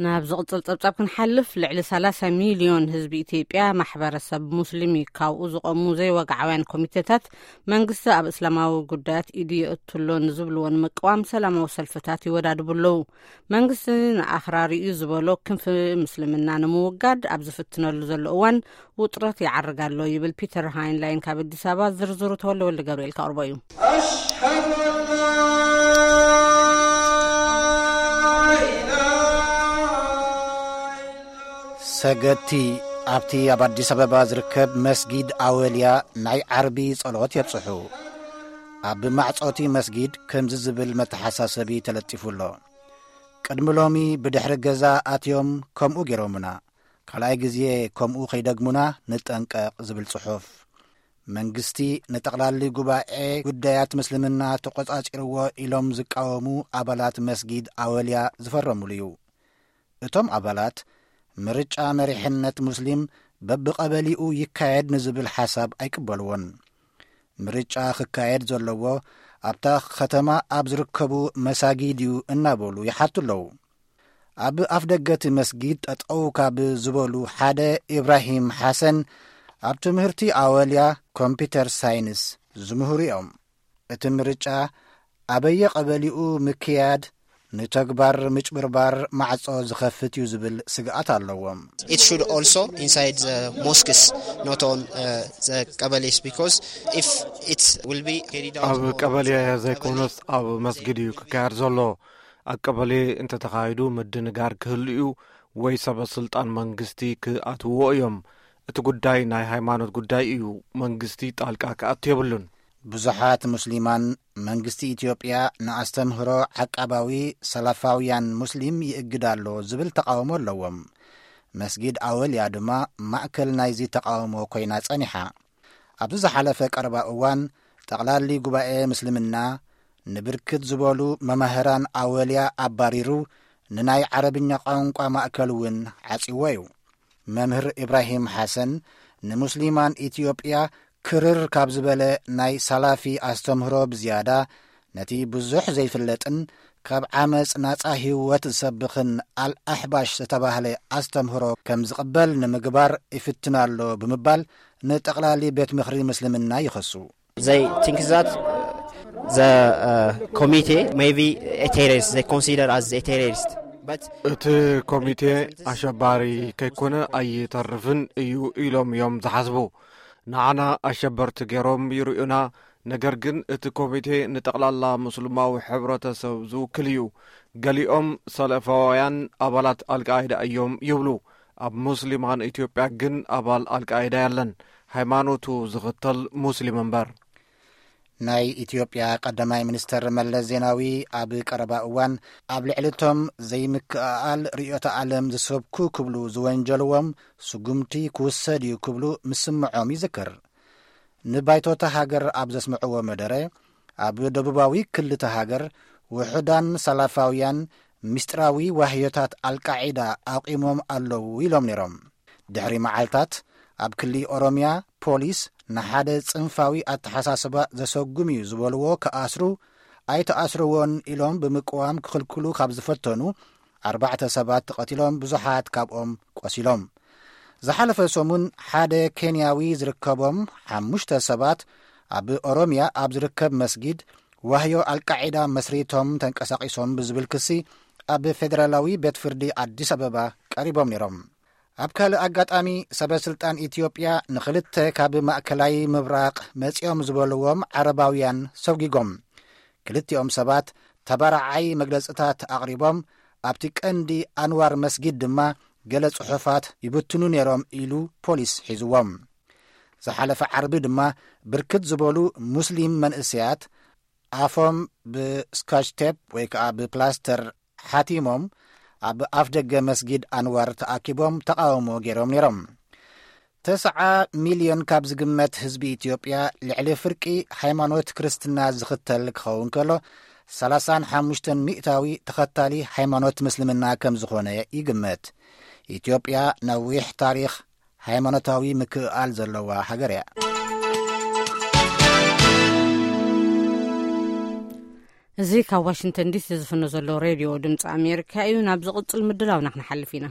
ናብ ዝቕጽል ጸብጻብ ክንሓልፍ፣ ልዕሊ ሰላሳ ሚልዮን ህዝቢ ኢትዮጵያ ማሕበረሰብ ሙስሊም እዩ። ካብኡ ዝቐሙ ዘይወግዓውያን ኮሚቴታት መንግስቲ ኣብ እስላማዊ ጉዳያት ኢዱ የእትሎ ንዝብልዎ ንምቅዋም ሰላማዊ ሰልፍታት ይወዳድቡ ኣለዉ። መንግስቲ ንኣኽራሪ እዩ ዝበሎ ክንፊ ምስልምና ንምውጋድ ኣብ ዝፍትነሉ ዘሎ እዋን ውጥረት ይዓርግ ኣሎ ይብል ፒተር ሃይንላይን ካብ ኣዲስ ኣበባ። ዝርዝሩ ተወልደ ወልደ ገብርኤል ከቕርቦ እዩ። ሰገድቲ ኣብቲ ኣብ ኣዲስ ኣበባ ዝርከብ መስጊድ ኣወልያ ናይ ዓርቢ ጸሎት የብጽሑ። ኣብ ማዕጾቲ መስጊድ ከምዚ ዝብል መተሓሳሰቢ ተለጢፉ ኣሎ። ቅድሚ ሎሚ ብድሕሪ ገዛ ኣትዮም ከምኡ ገይሮምና፣ ካልኣይ ግዜ ከምኡ ከይደግሙና ንጠንቀቕ ዝብል ጽሑፍ። መንግስቲ ንጠቕላሊ ጉባኤ ጉዳያት ምስልምና ተቖጻጺርዎ ኢሎም ዝቃወሙ ኣባላት መስጊድ ኣወልያ ዝፈረሙሉ እዩ። እቶም ኣባላት ምርጫ መሪሕነት ሙስሊም በብቐበሊኡ ይካየድ ንዝብል ሓሳብ ኣይቅበልዎን። ምርጫ ክካየድ ዘለዎ ኣብታ ከተማ ኣብ ዝርከቡ መሳጊድ እዩ እናበሉ ይሓቱ ኣለዉ። ኣብ ኣፍደገ እቲ መስጊድ ጠጠው ካብ ዝበሉ ሓደ ኢብራሂም ሓሰን ኣብ ትምህርቲ ኣወልያ ኮምፒተር ሳይንስ ዝምህሩ እዮም። እቲ ምርጫ ኣበየ ቀበሊኡ ምክያድ ንተግባር ምጭብርባር ማዕጾ ዝኸፍት እዩ ዝብል ስግኣት ኣለዎም። It should also inside the mosques, not on uh, the ቀበሌስ, because if it will be carried out ኣብ on ቀበሌ the ዘይኮነስ ኣብ መስጊድ እዩ ክካየድ ዘሎ። ኣብ ቀበሌ እንተተኻይዱ ምድንጋር ክህሉ እዩ ወይ ሰበ ስልጣን መንግስቲ ክኣትውዎ እዮም። እቲ ጉዳይ ናይ ሃይማኖት ጉዳይ እዩ። መንግስቲ ጣልቃ ክኣቱ የብሉን። ብዙሓት ሙስሊማን መንግስቲ ኢትዮጵያ ንኣስተምህሮ ዓቃባዊ ሰላፋውያን ሙስሊም ይእግድ ኣሎ ዝብል ተቃውሞ ኣለዎም። መስጊድ ኣወልያ ድማ ማእከል ናይዚ ተቃውሞ ኮይና ጸኒሓ። ኣብዚ ዝሓለፈ ቀረባ እዋን ጠቕላሊ ጉባኤ ምስልምና ንብርክት ዝበሉ መማህራን ኣወልያ ኣባሪሩ ንናይ ዓረብኛ ቋንቋ ማእከል እውን ዓጺዎ እዩ። መምህር ኢብራሂም ሓሰን ንሙስሊማን ኢትዮጵያ ክርር ካብ ዝበለ ናይ ሳላፊ ኣስተምህሮ ብዝያዳ ነቲ ብዙሕ ዘይፍለጥን ካብ ዓመጽ ናጻ ህይወት ዝሰብኽን ኣልኣሕባሽ ዝተባህለ ኣስተምህሮ ከም ዝቕበል ንምግባር ይፍትን ኣሎ ብምባል ንጠቕላሊ ቤት ምኽሪ ምስልምና ይኸሱ። They think that the uh, committee may be a terrorist, they consider as a terrorist. But እቲ ኮሚቴ ኣሸባሪ ከይኮነ ኣይተርፍን እዩ ኢሎም እዮም ዝሓስቡ። ንዓና ኣሸበርቲ ገይሮም ይርእዩና። ነገር ግን እቲ ኮሚቴ ንጠቕላላ ሙስልማዊ ሕብረተሰብ ዝውክል እዩ። ገሊኦም ሰለፋውያን ኣባላት ኣልቃይዳ እዮም ይብሉ። ኣብ ሙስሊማን ኢትዮጵያ ግን ኣባል ኣልቃይዳ የለን። ሃይማኖቱ ዝኽተል ሙስሊም እምበር። ናይ ኢትዮጵያ ቀዳማይ ሚኒስተር መለስ ዜናዊ ኣብ ቀረባ እዋን ኣብ ልዕሊ እቶም ዘይምክእኣል ርእዮተ ዓለም ዝሰብኩ ክብሉ ዝወንጀልዎም ስጉምቲ ክውሰድ እዩ ክብሉ ምስምዖም ይዝክር። ንባይቶታ ሃገር ኣብ ዘስምዕዎ መደረ፣ ኣብ ደቡባዊ ክልተ ሃገር ውሑዳን ሰላፋውያን ምስጢራዊ ዋህዮታት ኣልቃዒዳ ኣቂሞም ኣለዉ ኢሎም ነይሮም። ድሕሪ መዓልታት ኣብ ክሊ ኦሮምያ ፖሊስ ንሓደ ጽንፋዊ ኣተሓሳስባ ዘሰጉም እዩ ዝበልዎ ክኣስሩ ኣይተኣስርዎን ኢሎም ብምቅዋም ክኽልክሉ ካብ ዝፈተኑ ኣርባዕተ ሰባት ተቐቲሎም፣ ብዙሓት ካብኦም ቆሲሎም። ዝሓለፈ ሰሙን ሓደ ኬንያዊ ዝርከቦም ሓሙሽተ ሰባት ኣብ ኦሮምያ ኣብ ዝርከብ መስጊድ ዋህዮ ኣልቃዒዳ መስሪቶም ተንቀሳቒሶም ብዝብል ክሲ ኣብ ፌደራላዊ ቤት ፍርዲ ኣዲስ ኣበባ ቀሪቦም ነይሮም። ኣብ ካልእ ኣጋጣሚ ሰበ ስልጣን ኢትዮጵያ ንኽልተ ካብ ማእከላይ ምብራቕ መጺኦም ዝበልዎም ዓረባውያን ሰጒጎም። ክልቲኦም ሰባት ተባራዓይ መግለጽታት ኣቕሪቦም፣ ኣብቲ ቀንዲ ኣንዋር መስጊድ ድማ ገለ ጽሑፋት ይብትኑ ነይሮም ኢሉ ፖሊስ ሒዝዎም። ዝሓለፈ ዓርቢ ድማ ብርክት ዝበሉ ሙስሊም መንእሰያት ኣፎም ብስካች ቴፕ ወይ ከዓ ብፕላስተር ሓቲሞም ኣብ ኣፍ ደገ መስጊድ ኣንዋር ተኣኪቦም ተቃውሞ ገይሮም ነይሮም። ተስዓ ሚልዮን ካብ ዝግመት ህዝቢ ኢትዮጵያ ልዕሊ ፍርቂ ሃይማኖት ክርስትና ዝኽተል ክኸውን ከሎ፣ ሰላሳን ሓሙሽተን ሚእታዊ ተኸታሊ ሃይማኖት ምስልምና ከም ዝኾነ ይግመት። ኢትዮጵያ ነዊሕ ታሪኽ ሃይማኖታዊ ምክእኣል ዘለዋ ሃገር እያ። እዚ ካብ ዋሽንግተን ዲሲ ዝፍኖ ዘሎ ሬድዮ ድምፂ ኣሜሪካ እዩ። ናብ ዝቕፅል ምድላውና ክንሓልፍ ኢና።